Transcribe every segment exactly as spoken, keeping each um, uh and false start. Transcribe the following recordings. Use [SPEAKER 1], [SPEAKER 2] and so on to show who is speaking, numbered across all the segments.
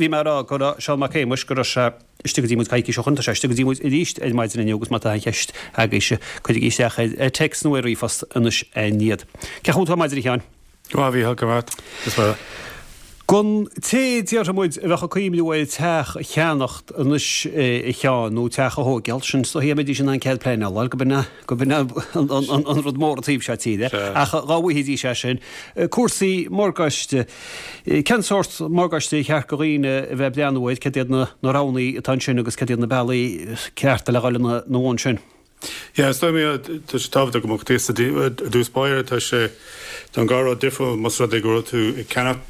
[SPEAKER 1] bhí mé ag rá go raibh Seán Mac Shéamuis, go raibh sé istigh go dtí muid coicís ó shin, tá sé istigh go dtí muid arís ar maidin inniu agus má tá aon cheist agaibhse, cuirigí isteach ar téacs nó ar ríomhphost anois iad. Cén chaoi a bhfuil tú ar maidin, a Sheáin?
[SPEAKER 2] Go maith, a Mhícheáil, go maith. Is maith.
[SPEAKER 1] Don té, déarfaidh muid, a bheadh ag cuimhniú ar teach a cheannacht anois, a Sheáin, nó teach a thóigeáil, sin is dóigh, mbeidís in ann cead pleanála a fháil, go b'in é, go b'in é an rud mór an taobh seo tíre. Ach dhá bhfaighidís é sin, cúrsaí morgáiste, cén sórt morgáiste ar cheart do dhaoine a bheith ag breathnú air, céard iad na roghanna atá ansin agus céard iad na bealaí cearta le dhul ina bhun sin?
[SPEAKER 2] Yeah, is dóigh liom, tá sé tábhachtach go mbeadh fhios agat i dtús báire, tá sé, tá an dhá rud difriúil, más rud é go bhfuil tú ag ceannach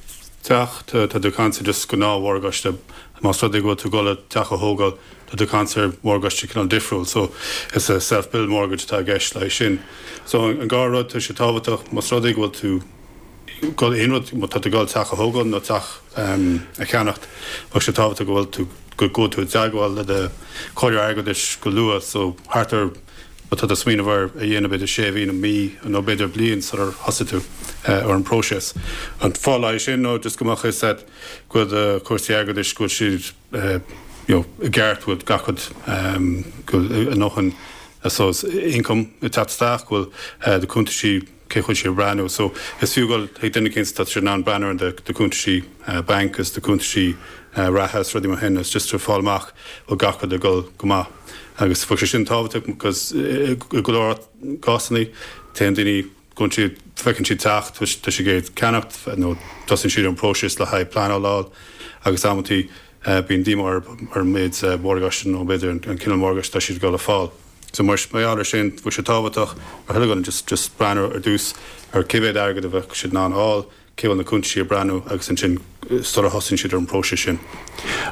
[SPEAKER 2] teach, tá tú ag caint ar just gnáth-mhorgáiste, más rud é go bhfuil tú ag dul le teach a thógáil, tá tú ag caint ar mhorgáiste cineál difriúil, so is a self-build mortgage atá i gceist le sin. So an dhá rud, tá sé tábhachtach, más rud é go bhfuil tú ag dul aon rud, má tá tú ag dul teach a thógáil nó teach a cheannacht, bheadh sé tábhachtach go bhfuil tú, go gcuaigh tú i dteagmháil le do chomhairleoir airgeadais go luath, so thart ar, má tá tú ag smaoineamh ar a dhéanamh b'fhéidir sé mhí nó mí nó b'fhéidir bliain sular thosaigh tú ar an bpróiseas. An fáth le sin nó just go mbeadh fhios agat go bhfuil do chúrsaí airgeadais, go bhfuil siad you know i gceart, go bhfuil gach rud, go bhfuil a ndóthain I suppose income ag teacht isteach, go bhfuil do cuntaisí cé chun siad a bhreathnú. So is fiú dul chuig duine éicint atá in ann breathnú ar do cuntaisí banc agus do cuntaisí reatha is rudaí mar sin is just to fáil amach bhfuil gach rud ag dul go maith. Agus bheadh sé sin tábhachtach because i go leor cásanna téann daoine gabhann siad feiceann siad teach tá siad ag iarraidh ceannacht nó tosaíonn siad an próiseas le haghaidh pleanáil a fháil agus amantaí bíonn díomá ar an méid morgáiste nó b'fhéidir an cineál morgáiste atá siad ag dul a fáil. So mar gheall ar sin, bheadh sé tábhachtach ar chuile dhuine just just breathnú ar dtús ar cé mhéad airgead a bheadh siad in ann a fháil, cé bhfuil na cuntaisí ag breathnú agus ansin sula thosaíonn siad ar an bpróiseas sin.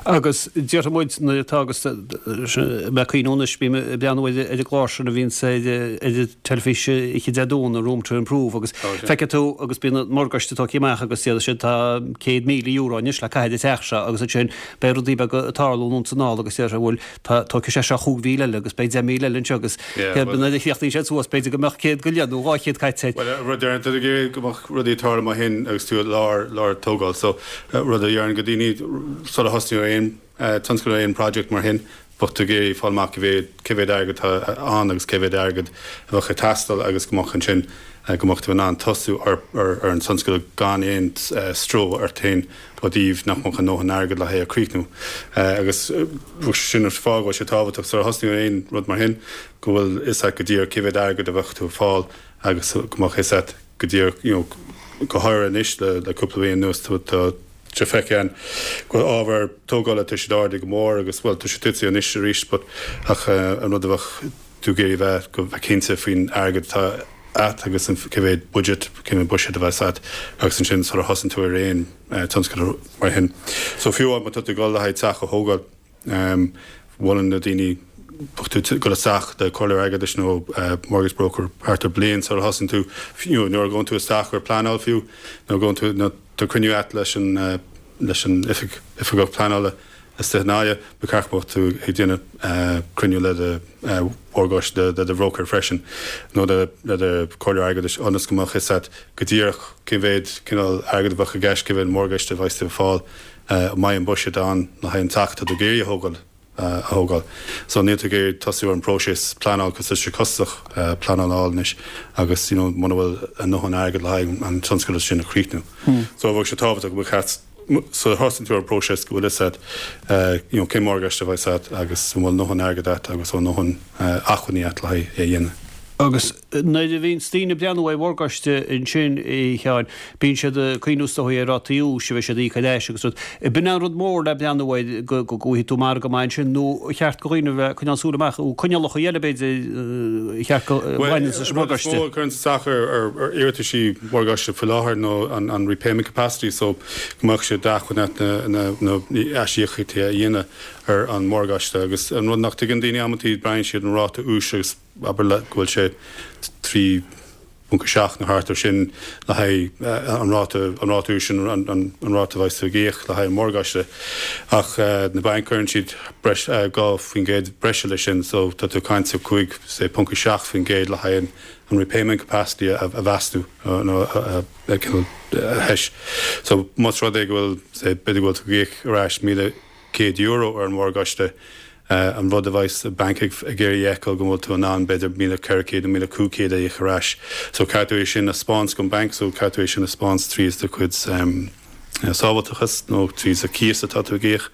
[SPEAKER 1] Agus déarfaidh muid nuair atá agus mé ag cuimhniú anois, bím ag breathnú ar an gclár sin a bhíonns ar an teilifís oíche Dé Domhnaigh, Room to Improve, agus feicfidh tú agus bíonn an morgáiste tógtha amach agus déarfaidh siad tá céad míle euro anois le caitheamh ar an teach seo agus ansin beidh rudaí beaga ag tarlú anonn is anall agus déarfaidh bhuel tá tógfaidh sé seo chúig mhíle eile agus beidh deich míle eile anseo agus nuair a chríochnaíonn sé suas b'fhéidir go mbeadh céad go leith nó dhá chéad caite air.
[SPEAKER 2] Bhuel, rud a deireann tú ag iarraidh go mbeadh rudaí ag tarlú mar shin agus tú i lár, lár tógáil. So, rud a deireann go daoine sula thosnaíonn ar aon tionscadal, aon project mar shin, bheadh tú ag iarraidh fáil amach cé mhéad, cé mhéad airgead atá ann agus cé mhéad airgead a bheadh ag teastáil agus go mbeadh ansin, go mbeadh tú in ann tosú ar, ar, ar an tionscadal gan aon stró ort féin ó thaobh nach mbeadh a ndóthain airgead le haghaidh a chríochnú. Agus sin an fáth go bhfuil sé tábhachtach sula thosnaíonn ar aon rud mar shin go bhfuil fhios agat go díreach cé mhéad airgead a bheadh tú ag fáil agus go mbeadh fhios agat go díreach you know go háirithe anois le le cúpla bliain anuas tá tá sé feicthe againn go bhfuil ábhar tógála tá siad ardaithe go mór agus bhuel tá sé tite anois arís but ach an rud a bheadh tú ag iarraidh bheith go bheith cinnte faoin airgead atá agat agus an cé mhéad budget cé mhéad buiséad a bheas agat agus ansin sula thosaíonn tú ar aon tionscadal mar shin. So fiú má tá tú ag dul le haghaidh teach a thógáil, molann na daoine bheadh tú ag dul isteach le comhairleoir airgeadais nó mortgage broker thart ar bliain sula thosaíonn tú, you know, nuair a ghabhann tú isteach ar pleanáil fiú, nuair a ghabhann tú, nó tá cruinniú agat leis an leis an oifig oifigeach pleanála istigh i nDoire, ba cheart go mbeadh tú ag déanamh cruinniú le do mhorgáiste, le do bhróicéir freisin, nó le do chomhairleoir airgeadais ionas go mbeadh fhios agat go díreach cé mhéad cineál airgead a bheadh i gceist, cé mhéad morgáiste a bheas tú ag fáil, an mbeidh an buiséad ann le haghaidh an teach atá tú ag iarraidh a thógáil. a thógáil. So níl tú ag iarraidh tosú ar an bpróiseas pleanáil cos tá sé costasach pleanáil a fháil anois agus you know muna bhfuil a ndóthain airgead le haghaidh an tionscadal sin a chríochnú. So bheadh sé tábhachtach go mbeadh sula thosaíonn tú ar an bpróiseas go bhfuil fhios agat you know cén morgáiste a bheas agat agus an bhfuil a ndóthain airgead agat agus an bhfuil a ndóthain acmhainní agat le haghaidh é a dhéanamh.
[SPEAKER 1] Agus nuair a bhíonns daoine ag breathnú ar mhorgáiste ansin, a Sheáin, bíonn siad ag cuimhniú is dóigh ar rátaí úis a bheidh siad a íoc ar ais agus rud. B'in an rud mór le breathnú air go bhfaighidh tú margadh maith ansin nó ar cheart do dhaoine a bheith ag coinneáil súil amach, nó coinníollacha eile b'fhéidir ar cheart go bhaineann leis an
[SPEAKER 2] morgáiste. Bhuel, is mó a chuireann isteach ar iarrataisí morgáiste faoi láthair ná an repayment capacity so go mbeadh sé d'acmhainn agat na aisíocaíochtaí a dhéanamh ar an morgáiste agus an rud nach dtuigeann daoine amantaí breathnaíonn siad an ráta úis agus abair go bhfuil sé trí ponc a seacht nó thart ar sin le haghaidh an ráta an ráta úis sin an an ráta a bheas tú ag íoc le haghaidh an mhorgáiste ach na bainc cuireann siad breis dhá faoin gcéad breise leis sin so tá tú ag caint ar cúig say ponc a seacht faoin gcéad le haghaidh an an repayment capacity a a mheasú nó a a a thomhas. So más rud é go bhfuil say b'fhéidir go bhfuil tú ag íoc ar ais míle céad euro ar an mhorgáiste an rud a bheas an banc ag iarraidh a fheiceáil go bhfuil tú in ann b'fhéidir míle ceithre chéad nó míle cúig chéad a íoc ar ais. So caithfidh tú é sin a 'speáint don banc, so caithfidh tú é sin a 'speáint tríd do chuid sábháilteachas nó tríd an cíos atá tú ag íoc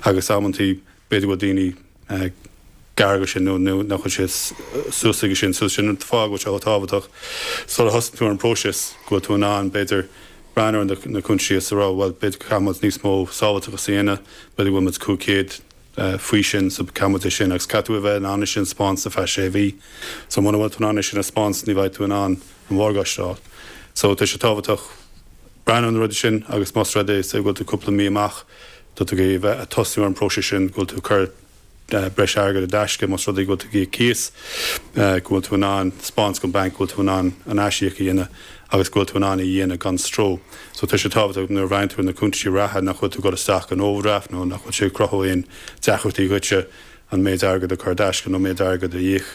[SPEAKER 2] agus amantaí b'fhéidir go bhfuil daoine gar go sin nó nach bhfuil sé suas aige sin. So sin an fáth go bhfuil sé chomh tábhachtach sula thosaíonn tú ar an bpróiseas go bhfuil tú in ann b'fhéidir breathnú ar na cuntais is a rá bhuel b'fhéidir go gcaithfidh muid níos mó sábháilteachas a dhéanamh, b'fhéidir go bhfuil muid cúig chéad faoi sin so caithfidh muid é sin agus caithfidh tú a bheith in ann é sin a 'speáint ar feadh sé mhí. So muna bhfuil tú in ann é sin a 'speáint ní bheidh tú in ann an mhorgáiste a fháil. So tá sé tábhachtach breathnú ar na rudaí sin agus más rud é say go bhfuil tú cúpla mí amach tá tú ag iarraidh a bheith ag tosnú ar an bpróiseas sin go bhfuil tú ag cur breis airgid i dtaisce más rud é go bhfuil tú ag íoc cíos, go bhfuil tú in ann 'speáint don banc go bhfuil tú in ann an aisíoc a dhéanamh agus go bhfuil tú in ann é a dhéanamh gan stró. So tá sé tábhachtach nuair a bhreathnaíonn tú ar na cuntaisí reatha nach bhfuil tú ag dul isteach in overdraft nó nach bhfuil sé ag cruthú aon deacrachtaí dhuitse an méid airgid a chur i dtaisce nó méid airgid a íoc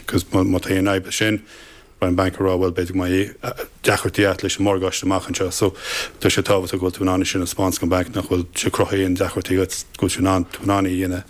[SPEAKER 2] because má tá aon fhadhb leis sin beidh an banc ag rá bhuel b'fhéidir go mbeidh deacrachtaí agat leis an morgáiste amach anseo. So tá sé tábhachtach go bhfuil tú in ann é sin a 'speáint don banc nach bhfuil sé ag cruthú aon deacrachtaí dhuit go bhfuil tú in ann tú in ann é a dhéanamh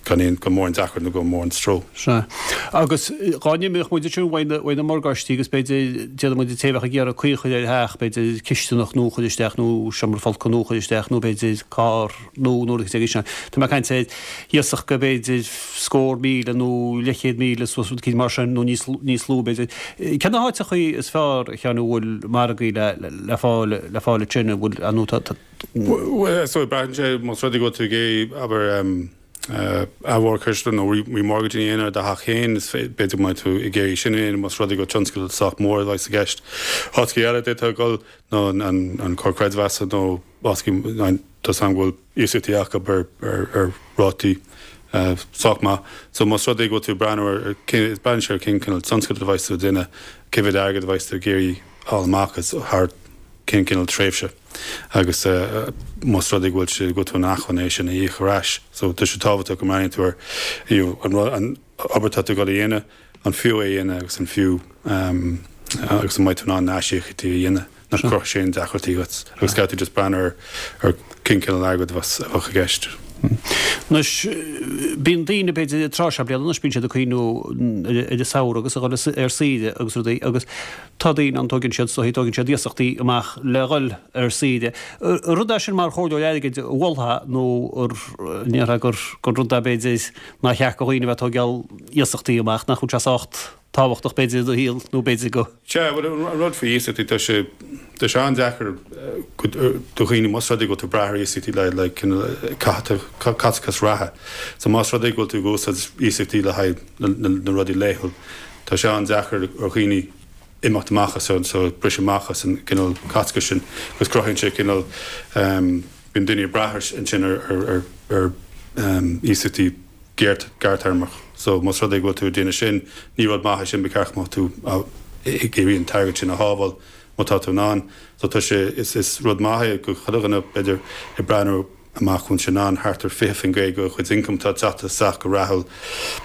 [SPEAKER 2] gan aon gan mórán deacracht nó gan mórán stró.
[SPEAKER 1] Sea. Agus dhá n-imeodh muid ansin uaidh na uaidh na morgáistí agus b'fhéidir déanfaidh muid an té a bheadh ag iarraidh caoi a chur ar theach, b'fhéidir cisteanach nua a chur isteach nó seomra folctha nua a chur isteach nó b'fhéidir carr nua nó rud éigin. Tá mé ag caint ar iasacht go b'fhéidir scór míle nó leathchéad míle suas rud eicínt mar sin nó níos níos lú b'fhéidir. Cé na háiteachaí is fearr a Sheáin a bhfuil margaí le le fáil le fáil ansin a bhfuil nó tá tá
[SPEAKER 2] Bhuel so braitheann sé más rud é go bhfuil tú ag iarraidh abair athmhorgáistiú nó remortgaging a dhéanamh ar do theach féin, is b'fhéidir go mbeidh tú ag iarraidh sin a dhéanamh más rud é go tionscadal sách mór a bheidh i gceist. Áiteachaí eile a d'fhéadfá a dhul ná an Comhar Creidmheasa nó áiteachaí tá 's agam go bhfuil iasachtaí acu ar ar rátaí sách maith. So más rud é go bhfuil tú ag breathnú ar braitheann sé ar cén cineál tionscadal a bheidh tú ag déanamh, cé mhéad airgead a bheidh tú ag iarraidh fháil amach as thar cén cineál tréimhse agus más rud é go bhfuil sé go bhfuil tú in acmhainn é sin a íoc ar ais. So tá sé tábhachtach go mbreathnaíonn tú ar you know, an rud an obair atá tú ag dul a dhéanamh, an fiú é a dhéanamh agus an fiú um, agus an mbeidh tú in ann na aisíocaíochtaí a dhéanamh nach gcruthóidh sé aon deacrachtaí dhuit agus caithfidh tú just breathnú ar ar cén cineál airgid a bheas a bheadh i gceist.
[SPEAKER 1] Anois, bíonn daoine b'fhéidir tráth seo bliana anois bíonn siad ag cuimhniú ar an samhradh agus a dhul ar saoire agus rudaí agus tá daoine ann tógann siad soithí, tógann siad iasachtaí amach le dhul ar saoire. Rud é sin mar chomhairleoir airgid a mholfá nó ar ndéarfá gur gur rud é b'fhéidir nár cheart do dhaoine a bheith ag tógáil iasachtaí amach, nach bhfuil sé sách tábhachtach b'fhéidir i do shaol nó b'fhéidir go.
[SPEAKER 2] Sea, bhuel, an rud faoi iasachtaí, tá sé, tá sé an-deacair do dhaoine más rud é go bhfuil tú ag brath ar iasachtaí le, le cineál caiteachas reatha. So más rud é go bhfuil tú ag úsáid iasachtaí le haghaidh na, na, na rudaí laethúil, tá sé an-deacair ar dhaoine imeacht amach as an, so briseadh amach as an gcineál caiteachais sin agus cruthaíonn sé cineál, bíonn daoine ag brath ansin ar, ar, ar, ar iasachtaí gearrthéarmach. So más rud é go bhfuil tú ag déanamh sin, ní rud maith é sin, ba cheart go mbeadh tú ag iarraidh an t-airgead sin a shábháil má tá tú in ann. So tá sé, is is rud maith é go chuile dhuine b'fhéidir ag breathnú amach go bhfuil sé in ann thart ar fiche faoin gcéad de chuid income atá ag teacht isteach go rathúil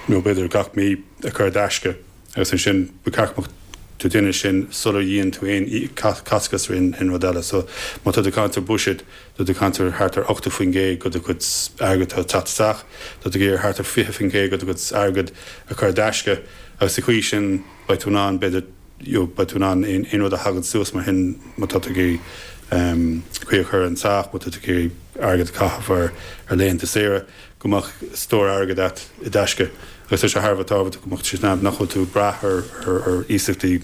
[SPEAKER 2] nó b'fhéidir gach mí a chur i dtaisce. Agus ansin ba cheart go mbeadh tú ag déanamh sin sular dhéan tú aon chaiteachas ar aon rud eile. So má tá tú ag caint ar buiséad, tá tú ag caint ar thart ar ochtó faoin gcéad de do chuid airgid atá ag teacht isteach, tá tú ag iarraidh thart ar fiche faoin gcéad de do chuid airgid a chur i dtaisce agus sa chaoi sin beidh tú in ann b'fhéidir you know beidh tú in ann aon rud a thagann suas mar shin má tá tú ag iarraidh caoi a chur ar an teach, má tá tú ag iarraidh airgead a chaitheamh ar ar laethanta saoire. go mbeadh stór airgid agat i dtaisce agus tá sé thar a bheith tábhachtach go mbeadh sé sin nach bhfuil tú ag brath ar ar iasachtaí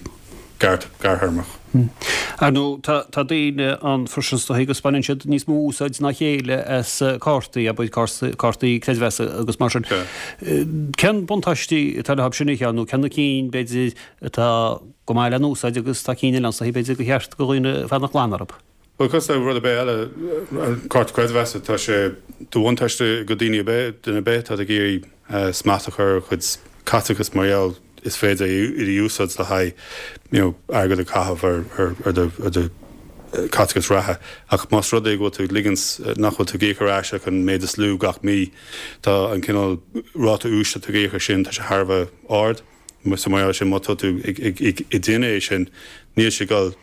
[SPEAKER 2] gearrthéarmach.
[SPEAKER 1] Ar ndóigh, tá tá daoine ann freisin is dóigh agus baineann siad níos mó úsáid ná a chéile as cártaí, abair cártaí creidmheasa agus mar sin. Cén buntáistí atá leo sin a Sheáin nó cé na cinn b'fhéidir atá go maith le n-úsáid agus tá cinn eile ann is dóigh b'fhéidir gur cheart do dhaoine fanacht glan orthu?
[SPEAKER 2] Bhuel, cosúil le rud ar bith eile, an cárta creidmheasa, tá sé de bhuntáiste do daoine ar bith, duine ar bith atá ag iarraidh smacht a chur ar a chuid caiteachas mar gheall, is féidir iad a úsáid le haghaidh you know, airgead a chaitheamh ar, ar, ar do, ar do caiteachas reatha. Ach más rud é go bhfuil tú ag ligint nach bhfuil tú ag íoc ar ais ach an méid is lú gach mí, tá an cineál ráta úis atá tú ag íoc air sin, tá sé thar a bheith ard. So mar sin má tá tú ag, ag, ag, ag déanamh é sin, níl sé ag dul,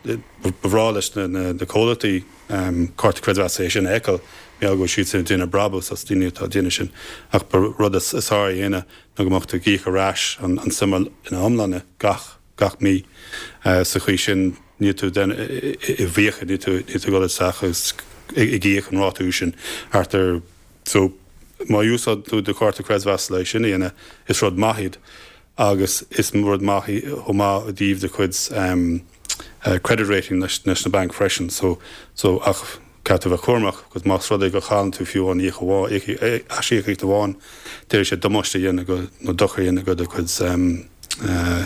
[SPEAKER 2] ba bhreá leis na, na, na comhlachtaí um, cárta creidmheasa é sin a fheiceáil, mar go bhfuil siad sin ag déanamh brabús as daoine atá ag déanamh sin. Ach ba rud is, is fearr a dhéanamh ná go mbeadh tú ag íoc ar ais an, an suim ina iomláine gach, gach mí. Uh, sa chaoi sin níl tú den, i bhfiacha, níl tú, níl tú ag dul isteach agus ag íoc an ráta úis sin thart ar so má úsáid tú do chárta creidmheasa le sin a dhéanamh, is rud maith iad agus is rud maith chomh maith i dtaobh do chuid um, uh, credit rating leis, leis na banc freisin so, so ach caithfidh tú bheith cúramach, agus más rud é go chailleann tú fiú an íoc amháin, aisíocaíocht amháin, d'fhéadfadh sé damáiste a dhéanamh go nó dochar a dhéanamh go do chuid um, uh,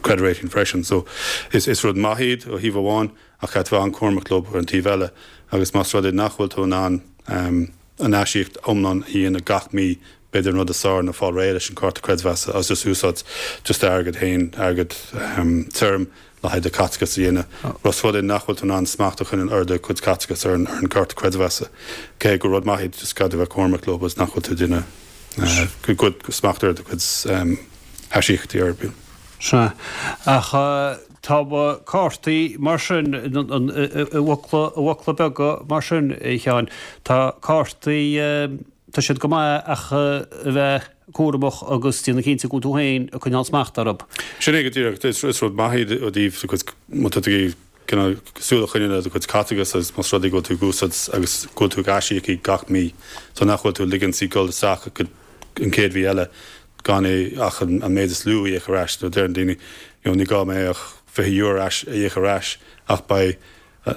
[SPEAKER 2] credit rating freisin. So is, is rud maith iad ó thaobh amháin ach caithfidh tú bheith an-chúramach leo ar an taobh eile agus más rud é nach bhfuil tú in ann um, an aisíocaíocht iomlán a dhéanamh gach mí b'fhéidir an rud is fearr ná fáil réidh leis an cárta creidmheasa agus just úsáid just airgead féin airgead um, tirim le haghaidh do chaiteachas a dhéanamh. Más rud é nach bhfuil tú in ann smacht a choinneáil ar do chuid caiteachas ar an, ar an cárta creidmheasa. Cé gur rud maith iad just caithfidh tú bheith cúramach leo agus nach bhfuil tú ag déanamh uh, go good smacht ar do chuid um, aisíocaíochtaí ar bith.
[SPEAKER 1] Sea. Ach uh, tá cártaí mar sin i bhfocla beaga mar sin a Sheáin. Tá cártaí tá siad go maith ach a bheith cúramach agus déanamh cinnte go bhfuil tú féin ag coinneáil smacht orthu.
[SPEAKER 2] Sin é go díreach is rud maith iad ó thaobh do chuid má tá tú ag cineál súil a choinneáil ar do chuid caiteachas agus más rud é go bhfuil tú ag úsáid agus go bhfuil tú ag aisíoc gach mí. So nach bhfuil tú ag ligint í dul isteach go an chéad mhí eile gan é ach an an méid is lú a íoc ar ais nó deireann daoine you know, ní gá mé ach fiche euro a íoc ar ais ach beidh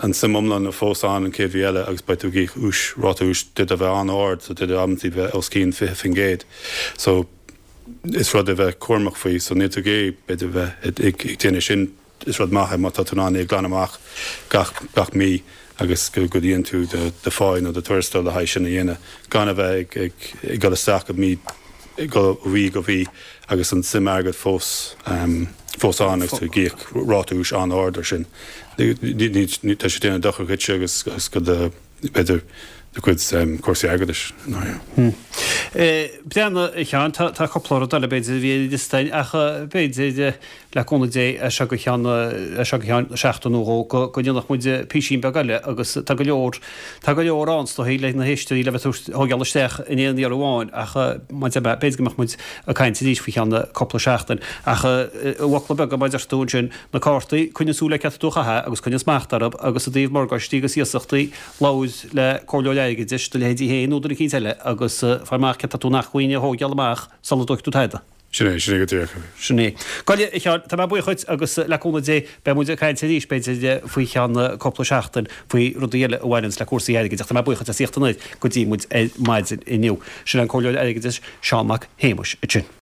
[SPEAKER 2] an suim iomlán fós ann an chéad mhí eile agus beidh tú ag íoc ús ráta úis d'fhéadfadh a bheith an-ard so d'fhéadfadh amantaí bheith os cionn fiche faoin gcéad. So is rud a bheith cúramach faoi so níl tú ag b'fhéidir bheith ag déanamh sin is rud maith é má tá tú in ann é a ghlanadh amach gach gach mí agus go go dtéann tú do do phá nó do tuarastal le haghaidh sin a dhéanamh gan a bheith ag ag ag dul isteach go mí go mhí go mhí agus an suim airgead fós um, fós ann agus tú ag íoc ráta úis an-ard ar sin. Ní tá sé déanamh dochar dhuitse agus agus go do b'fhéidir do chuid um, cúrsaí airgeadais. No, yeah.
[SPEAKER 1] Breathnaigh a Sheáin tá tá cúpla rud eile b'fhéidir a bhí ar liosta ach b'fhéidir le cúnamh Dé as seo go ceann as seo go ceann seachtain nó dhó go go ndéanfadh muid písín beag eile agus tá go leor tá go leor ann is dóigh le na héisteoirí le bheith thógáil isteach in aon iarraidh amháin ach má b'fhéidir go mbeadh muid ag caint arís faoi cheann cúpla seachtain ach i bhfocla beaga mar a deir tú ansin na cártaí coinnigh súil ar cad atá tú a chaitheamh agus coinnigh smacht orthu agus i dtaobh morgáistí agus iasachtaí labhair le comhairleoir airgeadais do leithéidí féin nó duine eicínt eile agus faigh amach cad tá tú in acmhainn a thógáil amach sula dtógfaidh tú tada.
[SPEAKER 2] Sin é, sin é go díreach.
[SPEAKER 1] Sin é. Gabh i leith a Sheáin, tá mé buíoch dhuit agus le cúnamh Dé beidh muid ag caint arís b'fhéidir faoi cheann cúpla seachtain faoi rudaí eile a bhaineanns le cúrsaí airgid ach tá mé buíoch dhuit as a thíocht anoir go dtí muid ar maidin inniu. Sin an comhairleoir airgeadais Seán Mac Shéamuis ansin.